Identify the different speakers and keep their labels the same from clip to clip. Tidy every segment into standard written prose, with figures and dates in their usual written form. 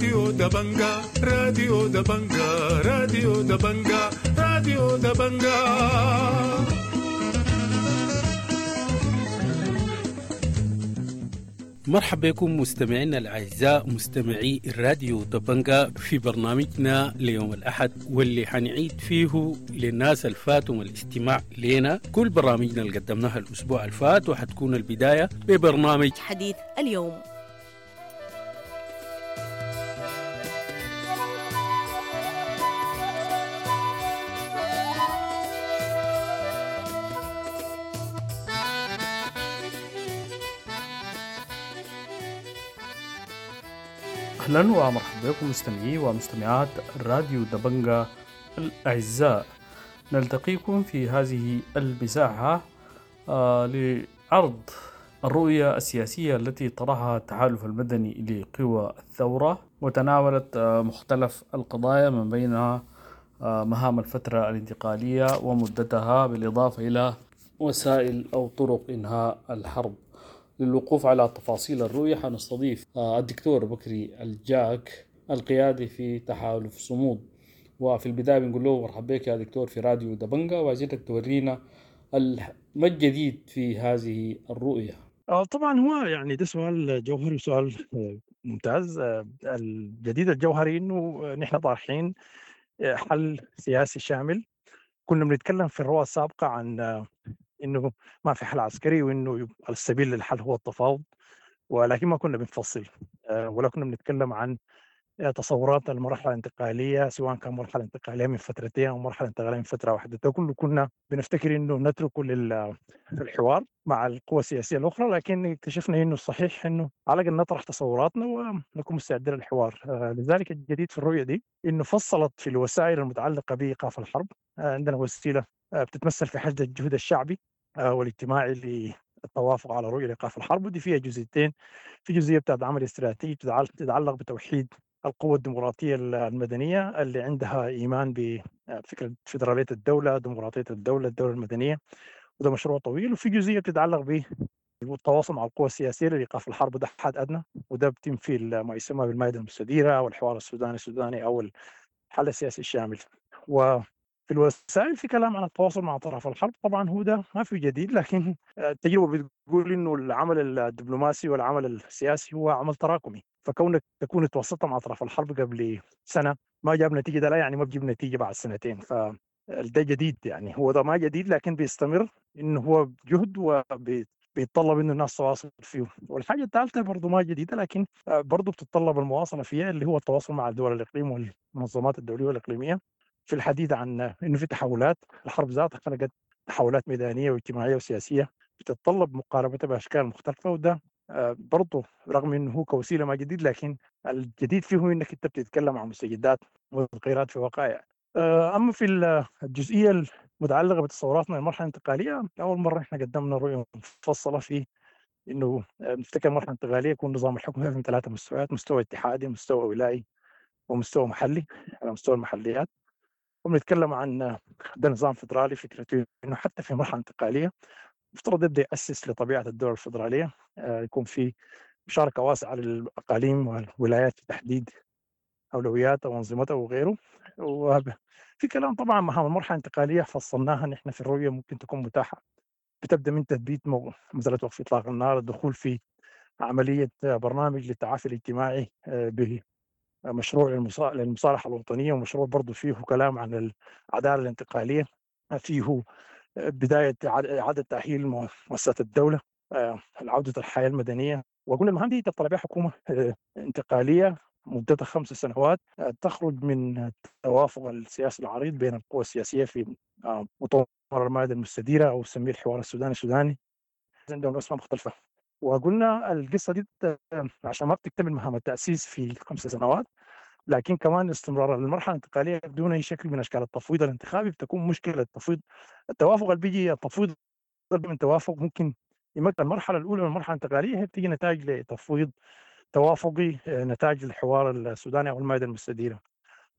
Speaker 1: راديو دبنجا، راديو دبنجا، راديو دبنجا، راديو دبنجا.
Speaker 2: مرحبا بكم مستمعينا الأعزاء مستمعي الراديو دبنجا في برنامجنا ليوم الأحد، واللي حنعيد فيه للناس الفاتهم الاستماع لنا كل برامجنا اللي قدمناها الأسبوع الفات، وحتكون البداية ببرنامج
Speaker 3: حديث اليوم.
Speaker 4: أهلا ومرحبا بكم مستمعي ومستمعات راديو دبنجا الأعزاء، نلتقيكم في هذه المساحة لعرض الرؤية السياسية التي طرحها التحالف المدني لقوى الثورة، وتناولت مختلف القضايا من بينها مهام الفترة الانتقالية ومدتها، بالإضافة إلى وسائل أو طرق إنهاء الحرب. للوقوف على تفاصيل الرؤية حنستضيف الدكتور بكري الجاك القيادي في تحالف صمود. وفي البداية بنقول له مرحبا بك يا دكتور في راديو دبنجا، وعايزينك تورينا ما الجديد في هذه الرؤية.
Speaker 5: طبعا هو يعني ده سؤال جوهري وسؤال ممتاز. الجديد الجوهري انه نحن طارحين حل سياسي شامل. كنا بنتكلم في الرؤى السابقة عن انه ما في حل عسكري وانه السبيل للحل هو التفاوض، ولكن ما كنا بنفصل ولا كنا بنتكلم عن تصورات المرحلة الانتقالية، سواء كان مرحلة انتقالية من فترتين او مرحلة انتقالية من فترة واحدة. ده كله كنا بنفتكر انه نتركه للحوار مع القوى السياسية الاخرى، لكن اكتشفنا انه الصحيح انه على الاقل نطرح تصوراتنا ونكون مستعدين للحوار. لذلك الجديد في الرؤية دي انه فصلت في الوسائل المتعلقة بايقاف الحرب. عندنا وسيلة بتتمثل في حشد الجهد الشعبي والاجتماعي للتوافق على رؤية لإيقاف الحرب، ودي فيها جزئيتين. في جزئية بتاعت عمل استراتيجي تتعلق بتوحيد القوى الديمقراطية المدنية اللي عندها إيمان بفكرة فيدرالية الدولة، ديمقراطية الدولة، الدولة المدنية، وده مشروع طويل. وفي جزئية بتتعلق بالتواصل مع القوى السياسية لإيقاف الحرب، وده حد أدنى، وده بيتم في ما يسمى بالمائدة المستديرة أو الحوار السوداني السوداني أو الحل السياسي الشامل. و في الوسائل في كلام عن التواصل مع طرف الحرب، طبعا هو ده ما في جديد، لكن التجربة بتقول انه العمل الدبلوماسي والعمل السياسي هو عمل تراكمي، فكونك تكون تواصلت مع طرف الحرب قبل سنة ما جاب نتيجة، ده لا يعني ما بجيب نتيجة بعد سنتين، فده جديد. يعني هو ده ما جديد، لكن بيستمر انه هو جهد وبيتطلب انه الناس تواصل فيه. والحاجة الثالثة برضه ما جديدة، لكن برضه بتتطلب المواصلة فيها، اللي هو التواصل مع دول الاقليم والمنظمات الدولية والاقليميه في الحديث عن انه في تحولات. الحرب ذاتها خلقت تحولات ميدانية واجتماعية وسياسية بتتطلب مقاربتها باشكال مختلفة، وده برضه رغم انه هو كوسيلة ما جديد، لكن الجديد فيه انك انت بتتكلم عن مستجدات وتغييرات في وقائع. اما في الجزئية المتعلقة بتصوراتنا للمرحلة الانتقالية، اول مرة احنا قدمنا رؤية مفصلة في انه نفتكر المرحلة الانتقالية يكون نظام الحكم من 3 مستويات: مستوى اتحادي، مستوى ولائي، ومستوى محلي على مستوى المحليات. وبنتكلم عن ده نظام فدرالي، فكرته انه حتى في مرحلة انتقالية مفترض يبدا ياسس لطبيعة الدول الفدرالية، يكون في مشاركة واسعة للاقاليم والولايات في تحديد اولوياتها وانظمتها وغيره. وفي كلام طبعا مهام المرحلة الانتقالية فصلناها نحن في الرؤية، ممكن تكون متاحة، بتبدا من تثبيت مسالة وقف اطلاق النار، الدخول في عملية برنامج للتعافي الاجتماعي مشروع للمصالحة الوطنية، ومشروع برضو فيه كلام عن العدالة الانتقالية، فيه بداية إعادة تأهيل مؤسسات الدولة، عودة الحياة المدنية. وقلنا المهام دي تطلع بها حكومة انتقالية مدتها 5 سنوات، تخرج من التوافق السياسي العريض بين القوى السياسية في مؤتمر المائدة المستديرة أو سميه الحوار السوداني السوداني، عندهم أسماء مختلفة. وقلنا القصة دي عشان ما بتكتمل مهام التأسيس في 5 سنوات، لكن كمان استمرار المرحلة الانتقالية بدون أي شكل من أشكال التفويض الانتخابي بتكون مشكلة. التفويض، التوافق اللي بيجي، التفويض من توافق ممكن يمكن المرحلة الأولى من المرحلة الانتقالية هي بتيجي نتائج لتفويض توافقي، نتائج الحوار السوداني أو المائدة المستديرة.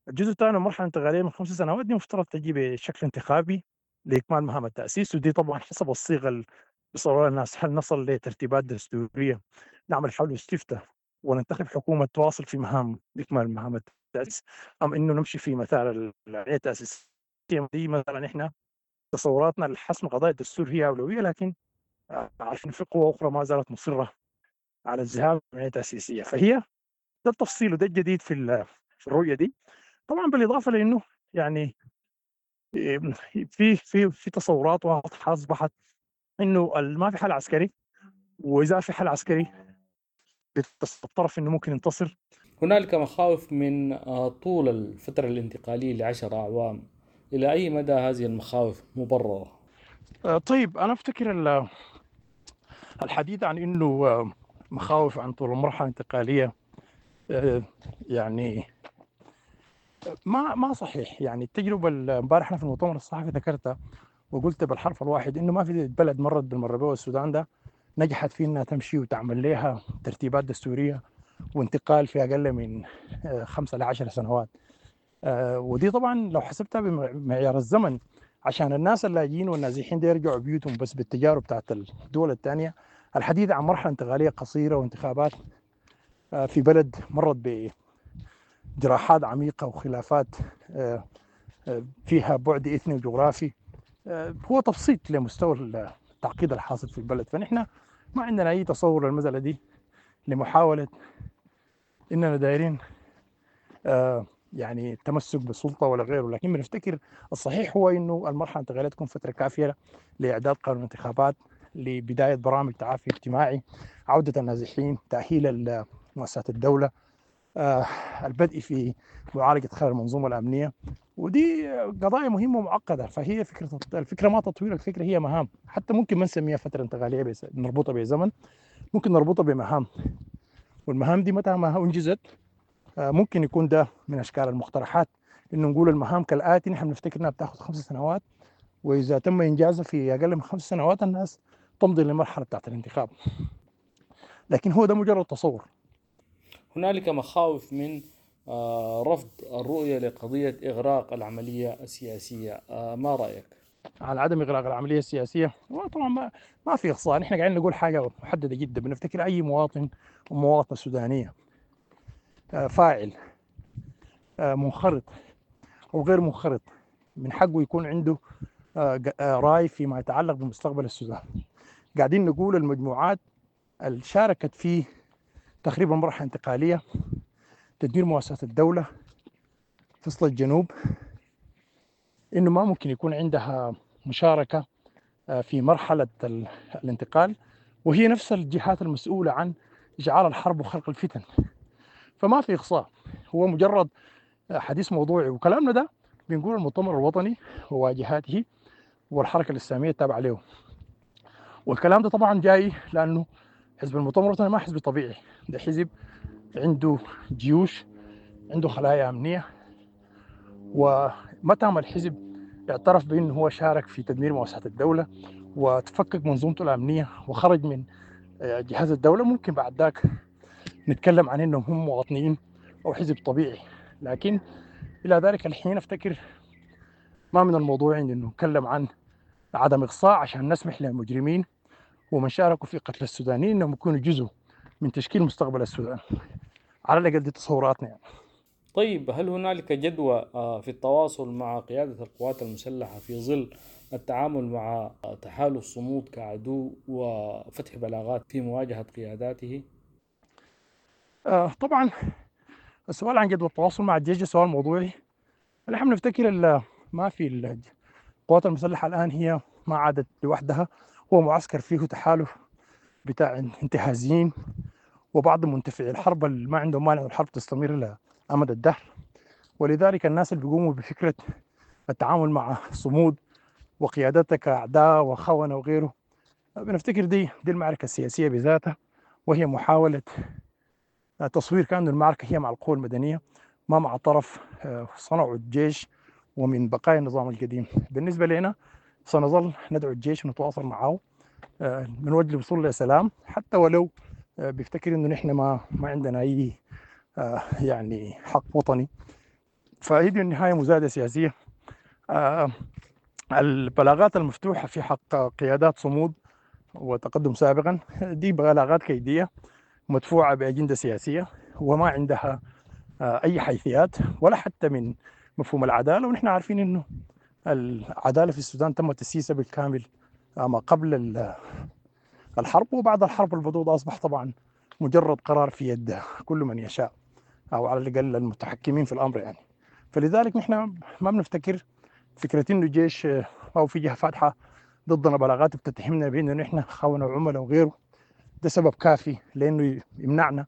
Speaker 5: الجزء الثاني المرحلة الانتقالية من 5 سنوات دي مفترض تجي بشكل انتخابي لإكمال مهام التأسيس، ودي طبعا حسب الصيغة بيصورها الناس. هل نصل لترتيبات دستورية نعمل حول استفتاء وننتخب حكومة تواصل في مهام اكمال مهام التاسيس، ام انه نمشي في مسار العملية التاسيسية دي. مثلا احنا تصوراتنا لحسم قضايا الدستور هي اولوية، لكن عارفين في قوى اخرى ما زالت مصرة على الذهاب للعملية التاسيسية. فهي ده التفصيل وده الجديد في الرؤية دي. طبعا بالاضافة لانه يعني في في في تصورات واضحة اصبحت انه ما في حل عسكري، واذا في حل عسكري الطرف انه ممكن ينتصر.
Speaker 4: هنالك مخاوف من طول الفترة الانتقالية ل10 أعوام، إلى أي مدى هذه المخاوف مبررة؟
Speaker 5: طيب، أنا أفتكر الحديث عن أنه مخاوف عن طول المرحلة الانتقالية يعني ما صحيح. يعني التجربة امبارح أنا في المؤتمر الصحفي ذكرتها وقلت بالحرف الواحد إنه ما في بلد مرت بالمرة بها السودان ده نجحت في إنها تمشي وتعمل لها ترتيبات دستورية وانتقال في أقل من 5 ل 10 سنوات. ودي طبعا لو حسبتها بمعيار الزمن عشان الناس اللاجئين والنازحين دي يرجعوا بيوتهم بس بالتجارب بتاعت الدول الثانية، الحديث عن مرحلة انتقالية قصيرة وانتخابات في بلد مرت بجراحات عميقة وخلافات فيها بعد إثني وجغرافي هو تبسيط لمستوى التعقيد الحاصل في البلد. فنحن ما عندنا أي تصور للمسألة دي لمحاولة إننا دايرين يعني التمسك بالسلطة ولا غيره، لكن بنفتكر الصحيح هو إنه المرحلة الانتقالية تكون فترة كافية لإعداد قانون انتخابات، لبداية برامج تعافي اجتماعي، عودة النازحين، تأهيل مؤسسات الدولة، البدء في معالجة خلل المنظومة الأمنية. ودي قضايا مهمة ومعقدة. فهي فكرة الفكرة ما تطوير، الفكرة هي مهام. حتى ممكن ما نسميها فترة انتقالية نربطها بزمن، ممكن نربطها بمهام، والمهام دي متى ما أنجزت ممكن يكون ده من أشكال المقترحات، إنه نقول المهام كالآتي: نحن بنفتكر إنها بتاخذ 5 سنوات، وإذا تم إنجازها في أقل من 5 سنوات الناس تمضي للمرحلة بتاعت الانتخاب. لكن هو ده مجرد تصور.
Speaker 4: هنالك مخاوف من رفض الرؤية لقضية إغراق العملية السياسية، ما رأيك؟
Speaker 5: على عدم إغراق العملية السياسية طبعا ما في إقصاء. نحن قاعدين نقول حاجة محددة جدا. بنفتكر أي مواطن ومواطنة سودانية فاعل منخرط أو غير منخرط من حقه يكون عنده رأي فيما يتعلق بمستقبل السودان. قاعدين نقول المجموعات اللي شاركت في تخريب المرحلة الانتقالية، تدمير مؤسسات الدولة، فصل الجنوب، إنه ما ممكن يكون عندها مشاركة في مرحلة الانتقال، وهي نفس الجهات المسؤولة عن إشعال الحرب وخلق الفتن. فما في إقصاء، هو مجرد حديث موضوعي. وكلامنا ده بنقول المؤتمر الوطني وواجهاته والحركة الإسلامية التابعة له. والكلام ده طبعا جاي لأنه حزب المؤتمر الوطني ما حزب طبيعي، ده حزب عنده جيوش، عنده خلايا أمنية، ومتى ما الحزب اعترف بأنه هو شارك في تدمير مؤسسات الدولة وتفكك منظومته الأمنية وخرج من جهاز الدولة، ممكن بعد ذاك نتكلم عن أنهم هم مواطنين أو حزب طبيعي. لكن إلى ذلك الحين أفتكر ما من الموضوع أنه نتكلم عن عدم إقصاء عشان نسمح للمجرمين ومن شاركوا في قتل السودانيين أنهم يكونوا جزء من تشكيل مستقبل السودان. على الأقل دي تصوراتنا يعني.
Speaker 4: طيب، هل هنالك جدوى في التواصل مع قيادة القوات المسلحة في ظل التعامل مع تحالف صمود كعدو وفتح بلاغات في مواجهة قياداته؟
Speaker 5: طبعا السؤال عن جدوى التواصل مع الجيش سؤال موضوعي. نحن بنفتكر ما في القوات المسلحة الآن هي ما عادت لوحدها، هو معسكر فيه تحالف بتاع انتهازيين وبعض منتفعي الحرب اللي ما عندهم مانع الحرب تستمر إلى أمد الدهر. ولذلك الناس اللي بيقوموا بفكرة التعامل مع صمود وقيادتها كأعداء وخونة وغيره، بنفتكر دي المعركة السياسية بذاتها، وهي محاولة تصوير كأن المعركة هي مع القوى المدنية ما مع طرف صنعوا الجيش ومن بقايا النظام القديم. بالنسبة لنا سنظل ندعو الجيش ونتواصل معه من وجه الوصول لسلام، حتى ولو بيفتكر انه نحن ما عندنا اي يعني حق وطني. فهي دي النهاية مزايده سياسية. البلاغات المفتوحة في حق قيادات صمود وتقدم سابقا دي بلاغات كيديه مدفوعة بأجندة سياسية وما عندها أي حيثيات ولا حتى من مفهوم العدالة. ونحن عارفين أنه العدالة في السودان تم تسييسها بالكامل ما قبل الحرب، وبعد الحرب الموضوع ده أصبح طبعا مجرد قرار في يد كل من يشاء أو على الأقل المتحكمين في الأمر يعني. فلذلك نحن ما بنفتكر فكرة إنه الجيش أو في جهة فاتحة ضدنا بلاغات بتتهمنا بأنه نحن خونة وعملاء وغيره، ده سبب كافي لأنه يمنعنا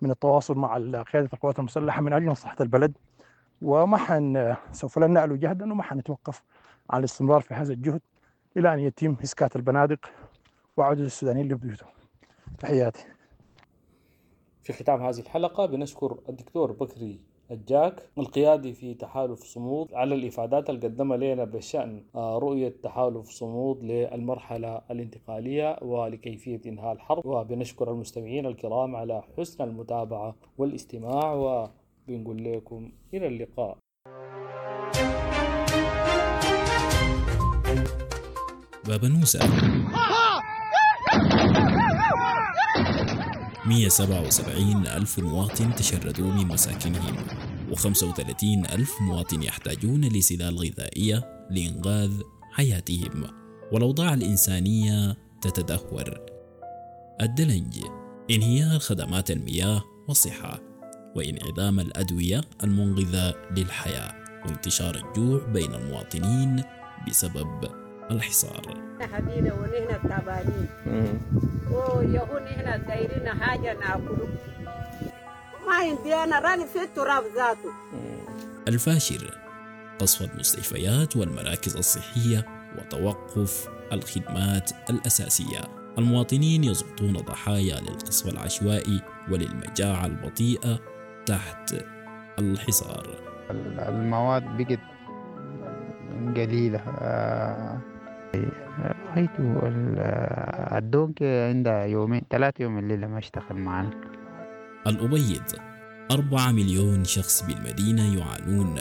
Speaker 5: من التواصل مع قيادة القوات المسلحة من أجل مصلحة البلد. وما سوف لن نألو جهدا وما حنتوقف عن الاستمرار في هذا الجهد إلى أن يتم إسكات البنادق وعودة السودانيين لبيوتهم. تحياتي.
Speaker 4: في ختام هذه الحلقة بنشكر الدكتور بكري الجاك القيادي في تحالف صمود على الإفادات اللي قدمها لنا بشأن رؤية تحالف صمود للمرحلة الانتقالية ولكيفية إنهاء الحرب. وبنشكر المستمعين الكرام على حسن المتابعة والاستماع، وبنقول لكم إلى اللقاء.
Speaker 3: بابنوسة 177 ألف مواطن تشردوا من مساكنهم، و35 ألف مواطن يحتاجون لسلال غذائية لإنقاذ حياتهم، والأوضاع الإنسانية تتدهور. الدلنج، انهيار خدمات المياه والصحة، وانعدام الأدوية المنقذة للحياة، وانتشار الجوع بين المواطنين بسبب الحصار.
Speaker 6: حبينا ونحن تعبانين ويهون نحن دايرين حاجة ناكله، ما عندي أنا راني في التراب ذاته.
Speaker 3: الفاشر، قصف المستشفيات والمراكز الصحية وتوقف الخدمات الأساسية. المواطنين يسقطون ضحايا للقصف العشوائي وللمجاعة البطيئة تحت الحصار.
Speaker 7: المواد بقت قليلة. رأيته الدونك عندها يومين 3 يوم الليلة ما اشتغل معنا.
Speaker 3: الأبيض، 4 مليون شخص بالمدينة يعانون،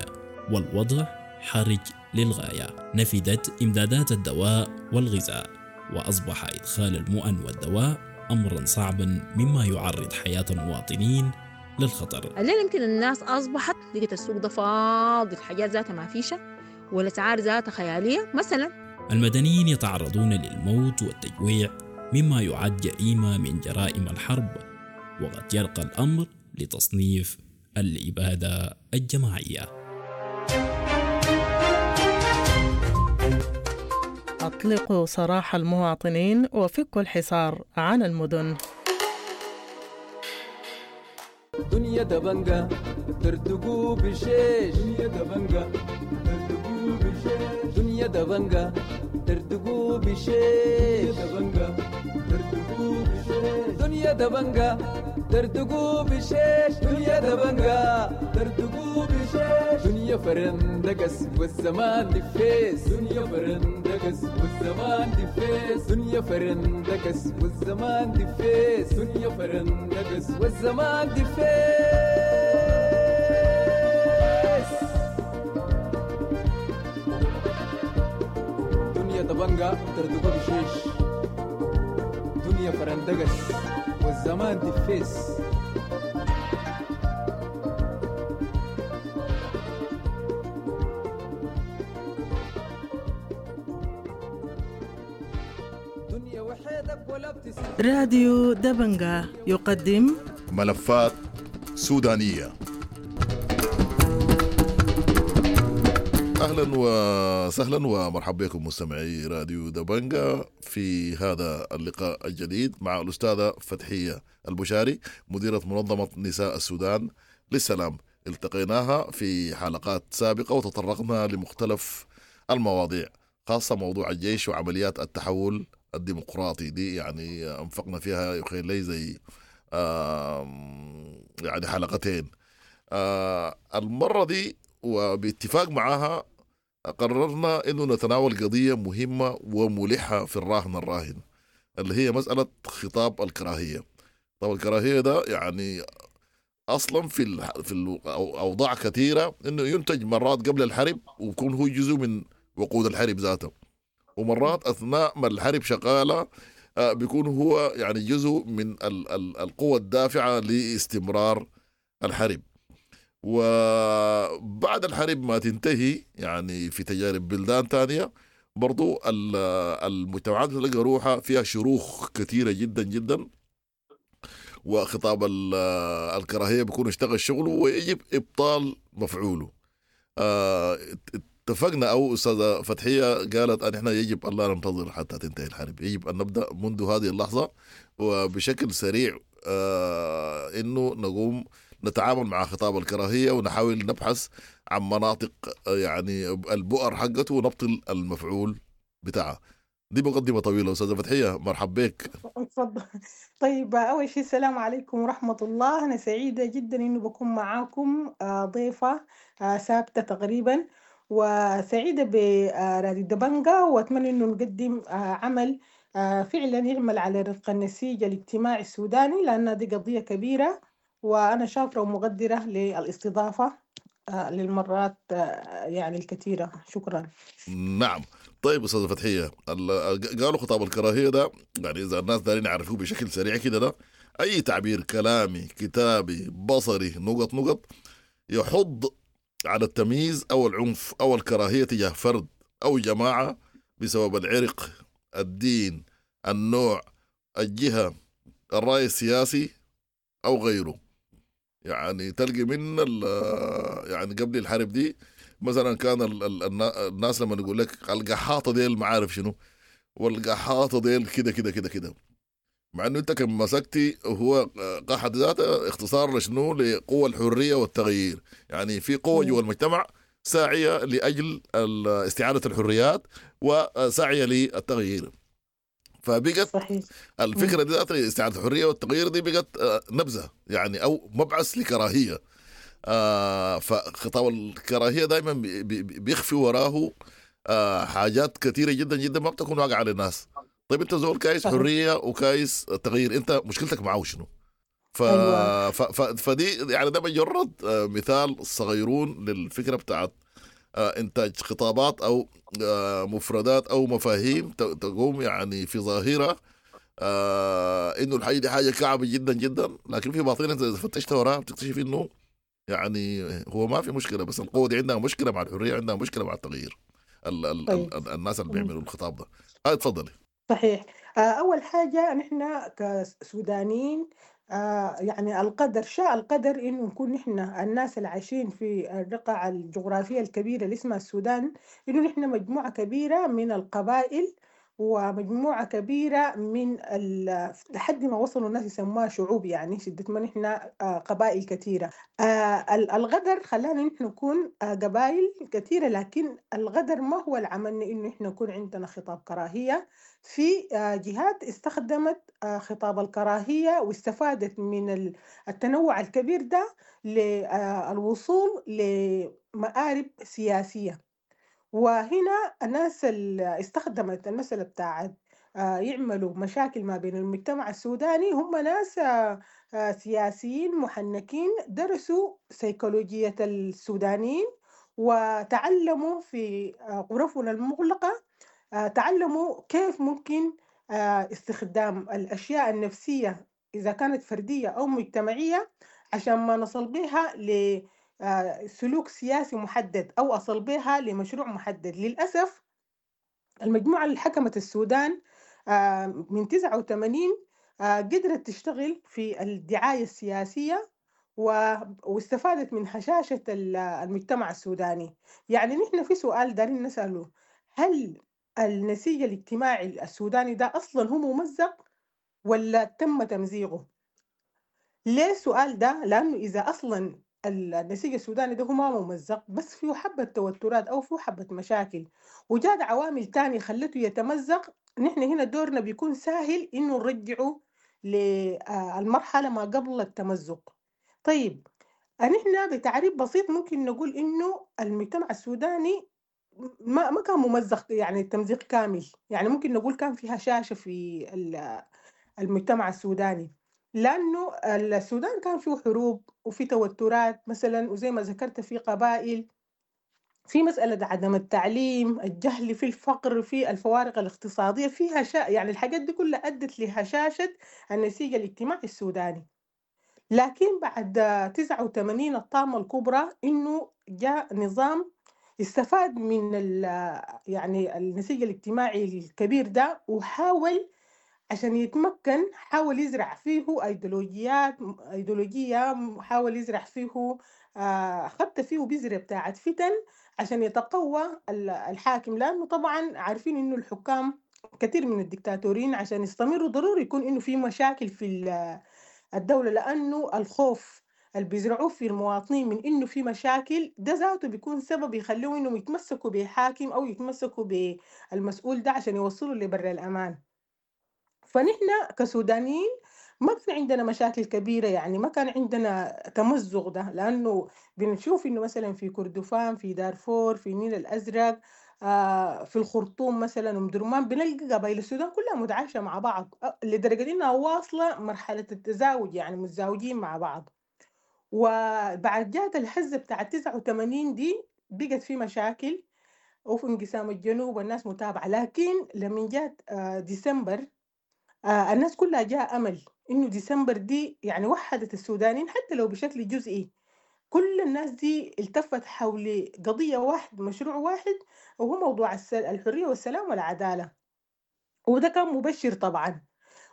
Speaker 3: والوضع حرج للغاية. نفدت إمدادات الدواء والغذاء، وأصبح إدخال المؤن والدواء أمرا صعبا، مما يعرض حياة المواطنين للخطر.
Speaker 8: الليلة يمكن الناس أصبحت لقيت السوق ده فاضي، الحاجات ذاتها ما فيشة والأسعار ذاتها خيالية مثلا.
Speaker 3: المدنيين يتعرضون للموت والتجويع، مما يعد جريمة من جرائم الحرب، وقد يرقى الأمر لتصنيف الإبادة الجماعية.
Speaker 9: أطلقوا سراح المواطنين وفكوا الحصار عن المدن.
Speaker 10: دنيا دبنجة ترتقوا بشيش، دنيا دبنجة ترتقوا بشيش، دنيا دبنجة ترتقوا بشيش، دبنجة ترتقوا بشيش، دنيا دبنجة ترتقوا بشيش، دنيا دبنجة ترتقوا بشيش، دنيا فرندقس والزمان دفيس، دنيا فرندقس والزمان دفيس، دنيا فرندقس والزمان دفيس، دنيا فرندقس والزمان دفيس. دنيا دبنجة ترتقوا بشيش، دنيا فرندقس والزمان دفيس.
Speaker 9: راديو دبنجة يقدم
Speaker 11: ملفات سودانية. أهلا وسهلا ومرحبا بكم مستمعي راديو دبنجة في هذا اللقاء الجديد مع الأستاذة فتحية البشاري، مديرة منظمة نساء السودان للسلام. التقيناها في حلقات سابقة وتطرقنا لمختلف المواضيع، خاصة موضوع الجيش وعمليات التحول الديمقراطي دي، يعني أنفقنا فيها يخيل لي زي يعني حلقتين. المرة دي وباتفاق معها قررنا أنه نتناول قضية مهمة وملحة في الراهن اللي هي مسألة خطاب الكراهية. طب الكراهية ده يعني أصلا في الأوضاع كثيرة أنه ينتج مرات قبل الحرب ويكون هو جزء من وقود الحرب ذاته، ومرات أثناء ما الحرب شغالة بيكون هو يعني جزء من القوة الدافعة لاستمرار الحرب. وبعد الحرب ما تنتهي، يعني في تجارب بلدان تانية برضو المجتمعات بتلقى روحها فيها شروخ كثيرة جدا جدا، وخطاب الكراهية بيكون اشتغل شغله ويجب إبطال مفعوله. اتفقنا أو أستاذة فتحية قالت أن إحنا يجب أن لا ننتظر حتى تنتهي الحرب، يجب أن نبدأ منذ هذه اللحظة وبشكل سريع إنه نقوم نتعامل مع خطاب الكراهية ونحاول نبحث عن مناطق يعني البؤر حقته ونبطل المفعول بتاعها. دي مقدمة طويلة. أستاذة فتحية مرحب بك.
Speaker 12: اتفضل. طيب، أول شيء السلام عليكم ورحمة الله. أنا سعيدة جدا إنه بكون معاكم ضيفة ثابتة تقريبا، وسعيدة براديو دبنجة، وأتمنى إنه نقدم عمل فعلا يعمل على رفق النسيج الاجتماعي السوداني، لأن دي قضية كبيرة، وأنا شاكرة ومقدرة للاستضافة للمرات يعني الكثيرة. شكرا.
Speaker 11: نعم. طيب أستاذة فتحية، قالوا خطاب الكراهية ده، يعني إذا الناس دارين يعرفوه بشكل سريع كده، ده أي تعبير كلامي كتابي بصري نقط نقط يحض على التمييز أو العنف أو الكراهية تجاه فرد أو جماعة بسبب العرق، الدين، النوع، الجهة، الرأي السياسي أو غيره. يعني تلقي من يعني قبل الحرب دي مثلا كان الناس لما يقول لك القحاطة ديل ما عارف شنو، والقحاطة ديل كده كده كده كده، مع انه انت كان مسكتي هو قحط ذاته اختصار لشنو؟ لقوة الحرية والتغيير. يعني في قوة جوا المجتمع ساعية لأجل استعادة الحريات وساعية للتغيير. فبقت
Speaker 12: صحيح.
Speaker 11: الفكرة دي ذات استعادة الحرية والتغيير دي بقت نبذة يعني أو مبعث لكراهية. فخطاب الكراهية دائما بيخفي وراه حاجات كثيرة جدا جدا ما بتكون واقعة للناس. طيب انت زول كايس حرية وكايس تغيير، انت مشكلتك معه شنو؟
Speaker 12: أيوة.
Speaker 11: فدي يعني ده مجرد مثال صغيرون للفكرة بتاعت انتاج خطابات او مفردات او مفاهيم تقوم يعني في ظاهرة انه الحاجة دي حاجة كعبة جدا جدا، لكن في باطنها انت اذا فتشت وراها بتكتشف انه يعني هو ما في مشكلة، بس القوة دي عندها مشكلة مع الحرية، عندها مشكلة مع التغيير.
Speaker 12: طيب.
Speaker 11: الناس اللي بيعملوا الخطاب ده. اتفضلي.
Speaker 12: صحيح. أول حاجة نحن كسودانيين يعني القدر شاء القدر إنه نكون نحن الناس اللي عايشين في الرقعة الجغرافية الكبيرة اللي اسمها السودان، إنه نحن مجموعة كبيرة من القبائل ومجموعة كبيرة من لحد ما وصلوا الناس يسموها شعوب، يعني شدة ما نحن قبائل كثيرة. الغدر خلانا نحن نكون قبائل كثيرة، لكن الغدر ما هو اللي عملنا إنه نحن نكون عندنا خطاب كراهية. في جهات استخدمت خطاب الكراهية واستفادت من التنوع الكبير ده للوصول لمآرب سياسية. وهنا الناس اللي استخدمت المسألة بتاعت يعملوا مشاكل ما بين المجتمع السوداني هم ناس سياسيين محنكين درسوا سيكولوجية السودانيين وتعلموا في غرفنا المغلقة، تعلموا كيف ممكن استخدام الأشياء النفسية إذا كانت فردية أو مجتمعية عشان ما نصل بها لسلوك سياسي محدد أو أصل بها لمشروع محدد. للأسف المجموعة اللي حكمت السودان من 89 قدرت تشتغل في الدعاية السياسية واستفادت من هشاشة المجتمع السوداني. يعني نحن في سؤال دارين نسأله، هل النسيج الاجتماعي السوداني ده أصلا هو ممزق ولا تم تمزيقه؟ ليه السؤال ده؟ لأنه إذا أصلا النسيج السوداني ده هو ما ممزق، بس فيه حبة توترات أو فيه حبة مشاكل وجاد عوامل تانية خلته يتمزق، نحن هنا دورنا بيكون سهل إنه نرجعه للمرحلة ما قبل التمزق. طيب نحن بتعريف بسيط ممكن نقول إنه المجتمع السوداني ما كان ممزق، يعني التمزيق كامل، يعني ممكن نقول كان في هشاشة في المجتمع السوداني، لأنه السودان كان فيه حروب وفي توترات مثلا، وزي ما ذكرت في قبائل، في مسألة عدم التعليم، الجهل، في الفقر، في الفوارق الاقتصادية، فيها يعني الحاجات دي كلها أدت لهشاشة النسيج الاجتماعي السوداني. لكن بعد 89 الطامة الكبرى إنه جاء نظام استفاد من يعني النسيج الاجتماعي الكبير ده، وحاول عشان يتمكن، حاول يزرع فيه أيديولوجية، حاول يزرع فيه خدت فيه بذرة بتاعت فتن عشان يتقوى الحاكم. لأنه طبعا عارفين إنه الحكام كثير من الدكتاتورين عشان يستمروا ضروري يكون إنه في مشاكل في الدولة، لأنه الخوف اللي بيزرعوه في المواطنين من إنه في مشاكل ده ذاته بيكون سبب يخليهم إنهم يتمسكوا بحاكم أو يتمسكوا بالمسؤول ده عشان يوصلوا لبر الأمان. فنحن كسودانيين ما كان عندنا مشاكل كبيرة، يعني ما كان عندنا تمزق ده، لأنه بنشوف إنه مثلا في كردفان، في دارفور، في النيل الأزرق، في الخرطوم مثلا أم درمان، بنلقى قبائل السودان كلها متعايشة مع بعض، لدرجة إنها واصلة مرحلة التزاوج، يعني متزاوجين مع بعض. وبعد جات الهزة بتاعت 89 دي بقت في مشاكل وفي انقسام الجنوب والناس متابعة. لكن لما جات ديسمبر، الناس كلها جاء أمل إنه ديسمبر دي يعني وحدت السودانيين حتى لو بشكل جزئي. كل الناس دي التفت حول قضية واحد، مشروع واحد، وهو موضوع الحرية والسلام والعدالة، وده كان مبشر طبعا.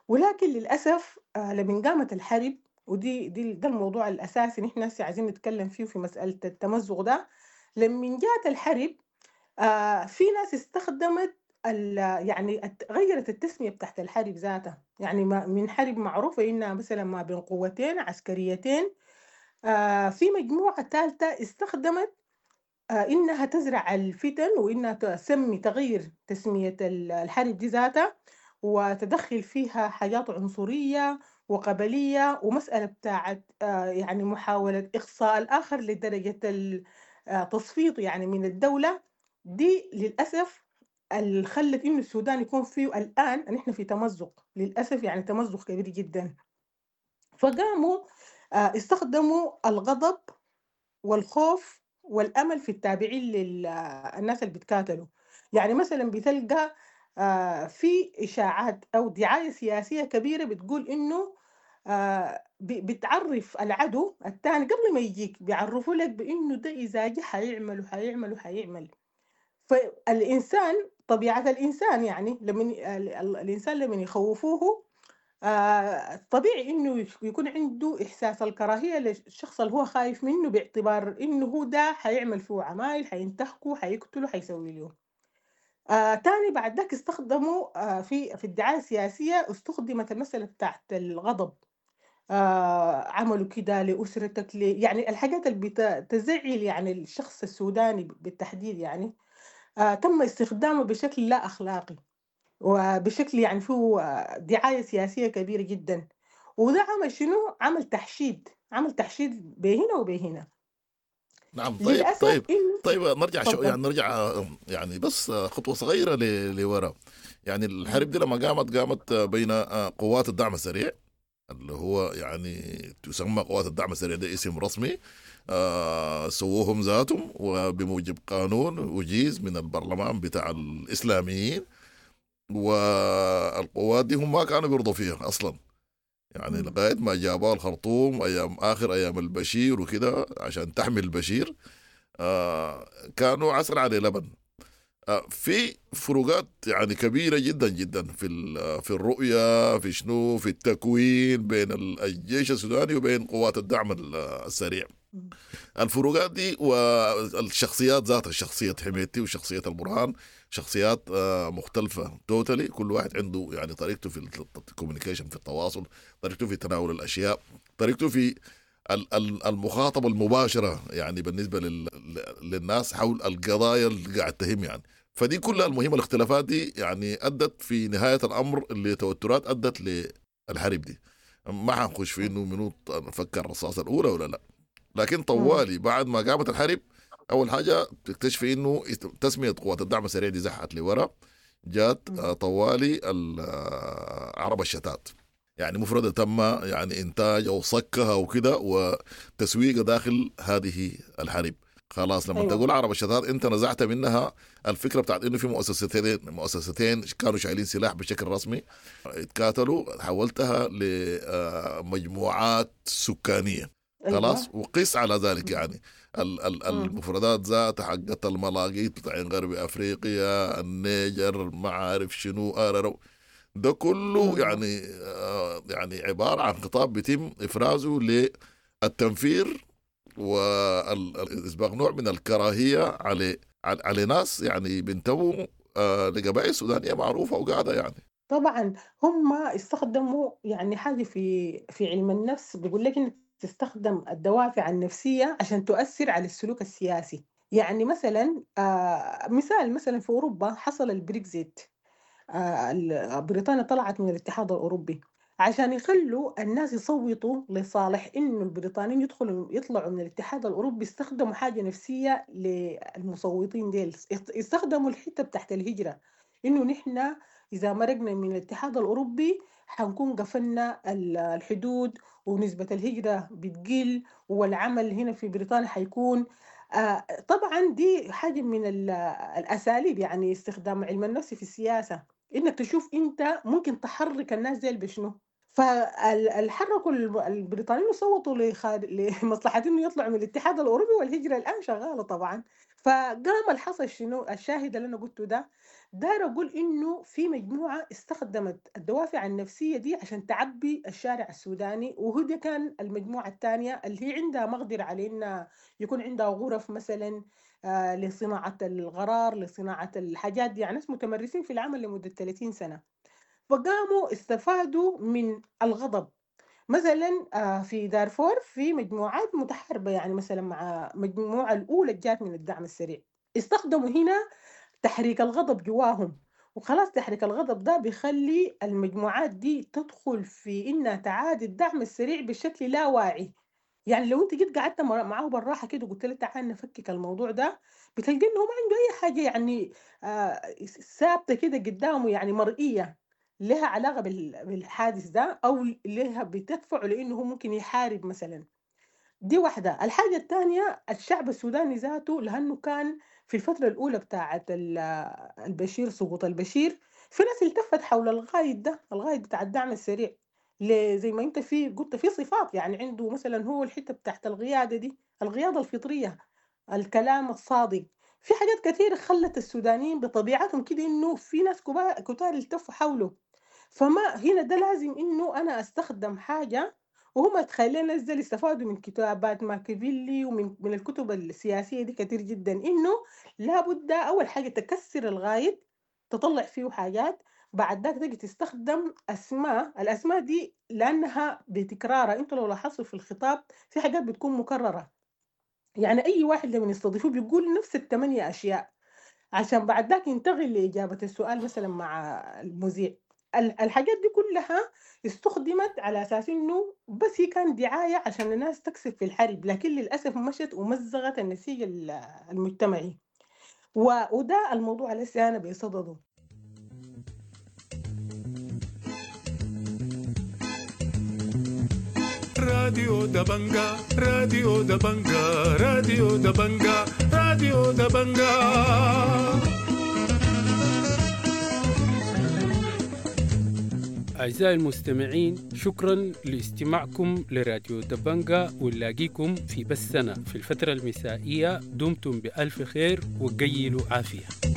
Speaker 12: ولكن للأسف لما قامت الحرب، ودي دي ده الموضوع الأساسي نحن هسه عايزين نتكلم فيه في مسألة التمزق ده. لما جات الحرب في ناس استخدمت يعني غيرت التسمية بتاعت الحرب ذاتها، يعني من حرب معروفة إنها مثلا ما بين قوتين عسكريتين، في مجموعة ثالثة استخدمت إنها تزرع الفتن وإنها تسمي تغير تسمية الحرب دي ذاتها، وتدخل فيها حاجات عنصرية وقبلية ومسألة بتاعت يعني محاولة إقصاء الآخر لدرجة تصفيته يعني من الدولة دي. للأسف اللي خلت إنه السودان يكون فيه الآن نحن في تمزق، للأسف يعني تمزق كبير جدا. فقاموا استخدموا الغضب والخوف والأمل في التابعين للناس اللي بيتكاتلوا. يعني مثلا بتلقى في إشاعات أو دعاية سياسية كبيرة بتقول إنه بتعرف العدو الثاني قبل ما يجيك، بيعرفوا لك بإنه ده إذا جه حيعمل وحيعمل وحيعمل. فالإنسان طبيعة الإنسان يعني لما الإنسان لما يخوفوه طبيعي إنه يكون عنده إحساس الكراهية للشخص اللي هو خايف منه، باعتبار إنه هو ده حيعمل فيه عمايل، حينتهكه، حيقتله، حيسوي له. تاني بعد ذاك استخدموا في الدعاية السياسية استخدمت المسألة بتاعت الغضب، عملوا كده لأسرتك، يعني الحاجات اللي بتزعل يعني الشخص السوداني بالتحديد، يعني تم استخدامه بشكل لا أخلاقي وبشكل يعني فيه دعاية سياسية كبيرة جدا. وده عمل شنو؟ عمل تحشيد، عمل تحشيد بهنا وبهنا.
Speaker 11: نعم. طيب طيب طيب نرجع شو يعني، نرجع يعني بس خطوة صغيرة لورا. يعني الحرب دي لما قامت بين قوات الدعم السريع، اللي هو يعني تسمى قوات الدعم السريع، ده اسم رسمي سووهم ذاتهم وبموجب قانون وجيز من البرلمان بتاع الإسلاميين، والقوات دي هم ما كانوا بيرضوا فيها أصلا، يعني لغاية ما جابوها الخرطوم أيام آخر أيام البشير وكده عشان تحمي البشير، كانوا عسل على لبن. في فروقات يعني كبيرة جدا جدا في الرؤية، في شنو، في التكوين بين الجيش السوداني وبين قوات الدعم السريع. الفروقات دي والشخصيات ذاتها، شخصية حميدتي وشخصية البرهان، شخصيات مختلفة totally، كل واحد عنده يعني طريقته في ال communication، في التواصل، طريقته في تناول الأشياء، طريقته في المخاطبة المباشرة يعني بالنسبة للناس حول القضايا اللي قاعد تهم يعني. فدي كلها المهمة، الاختلافات دي يعني أدت في نهاية الأمر لتوترات أدت للحرب دي. ما حنخش في إنه منو فكر الرصاصة الأولى ولا لا، لكن طوالي بعد ما قامت الحرب أول حاجة تكتشف إنه تسمية قوات الدعم السريع دي زحت لورا، جات طوالي عرب الشتات، يعني مفردة تم يعني إنتاج أو صكها وكده وتسويقها داخل هذه الحرب. خلاص لما
Speaker 12: أيوة.
Speaker 11: تقول عرب الشتات انت نزعت منها الفكرة بتاعت انه في مؤسستين كانوا شايلين سلاح بشكل رسمي اتكاتلوا، حولتها لمجموعات سكانية.
Speaker 12: أيوة.
Speaker 11: خلاص، وقيس على ذلك يعني المفردات ذات حقت الملاقيط بتاعين غرب افريقيا، النيجر، ما عارف شنو، آررو، ده كله يعني يعني عبارة عن خطاب بيتم افرازه للتنفير والاسباغ نوع من الكراهية على ناس يعني بينتموا لقبائل سودانيه معروفة وقاعدة يعني.
Speaker 12: طبعا هم استخدموا يعني حاجة في علم النفس بيقول لك انك تستخدم الدوافع النفسية عشان تؤثر على السلوك السياسي. يعني مثلا مثال مثلا في أوروبا حصل البريكزيت، بريطانيا طلعت من الاتحاد الأوروبي عشان يخلوا الناس يصوتوا لصالح إنه البريطانيين يطلعوا من الاتحاد الأوروبي. استخدموا حاجة نفسية للمصوتين ديل، استخدموا الحتة بتاعت الهجرة، إنه نحن إذا مرقنا من الاتحاد الأوروبي حنكون قفلنا الحدود ونسبة الهجرة بتقل والعمل هنا في بريطانيا حيكون طبعا دي حاجة من الأساليب، يعني استخدام علم النفس في السياسة، إنك تشوف أنت ممكن تحرك الناس ديل بشنو. فالحركوا البريطانيين وصوتوا لمصلحة إنه يطلعوا من الاتحاد الأوروبي، والهجرة الآن شغالة طبعا. فقام الحصل شنو؟ الشاهد اللي أنا قلته ده، داير أقول إنه في مجموعة استخدمت الدوافع النفسية دي عشان تعبي الشارع السوداني، وهو ده كان المجموعة الثانية اللي هي عندها مقدرة على إنها يكون عندها غرف مثلا لصناعة الغرار، لصناعة الحاجات دي، يعني ناس متمرسين في العمل لمدة 30 سنة. فقاموا استفادوا من الغضب. مثلا في دارفور في مجموعات متحاربة، يعني مثلا مع مجموعة الأولى جات من الدعم السريع، استخدموا هنا تحريك الغضب جواهم، وخلاص تحريك الغضب ده بيخلي المجموعات دي تدخل في إنها تعادي الدعم السريع بشكل لا واعي. يعني لو انت جيت قعدت معاه بالراحة كده وقلت له تعال نفكك الموضوع ده، بتلقى انه ما عنده اي حاجة يعني ثابتة كده قدامه، يعني مرئية لها علاقة بالحادث ده، او لها بتدفعه لانه هو ممكن يحارب مثلا. دي واحدة. الحاجة الثانية الشعب السوداني ذاته، لانه كان في الفترة الاولى بتاعه البشير، سقوط البشير، في ناس التفت حول الغايد ده، الغايد بتاع الدعم السريع، زي ما انت في قلت في صفات، يعني عنده مثلا هو الحتة بتاعت القيادة دي، القيادة الفطرية، الكلام الصادق، في حاجات كثيرة خلت السودانيين بطبيعتهم كده انه في ناس كتار التفوا حوله. فما هنا ده لازم انه انا استخدم حاجة، وهم تخيلين الناس دي استفادوا من كتابات ماكيافيلي ومن الكتب السياسية دي كتير جدا، انه لابد اول حاجة تكسر الغايد، تطلع فيه حاجات، بعد ذاك تجي تستخدم اسماء، الاسماء دي لانها بتكرارها، انتوا لو لاحظتوا في الخطاب في حاجات بتكون مكررة، يعني اي واحد لما يستضيفوه بيقول نفس الثمانية اشياء عشان بعد ذاك ينتقل لاجابة السؤال مثلا مع المذيع. الحاجات دي كلها استخدمت على اساس انه بس هي كان دعاية عشان الناس تكسب في الحرب، لكن للاسف مشت ومزغت النسيج المجتمعي، وده الموضوع اللي انا بصدده.
Speaker 1: راديو دبنجا، راديو دبنجا، راديو دبنجا، راديو دبنجا.
Speaker 2: أعزائي المستمعين، شكرا لاستماعكم لراديو دبنجا، ونلاقيكم في بثنا في الفترة المسائية. دمتم بألف خير وقيلوا عافية.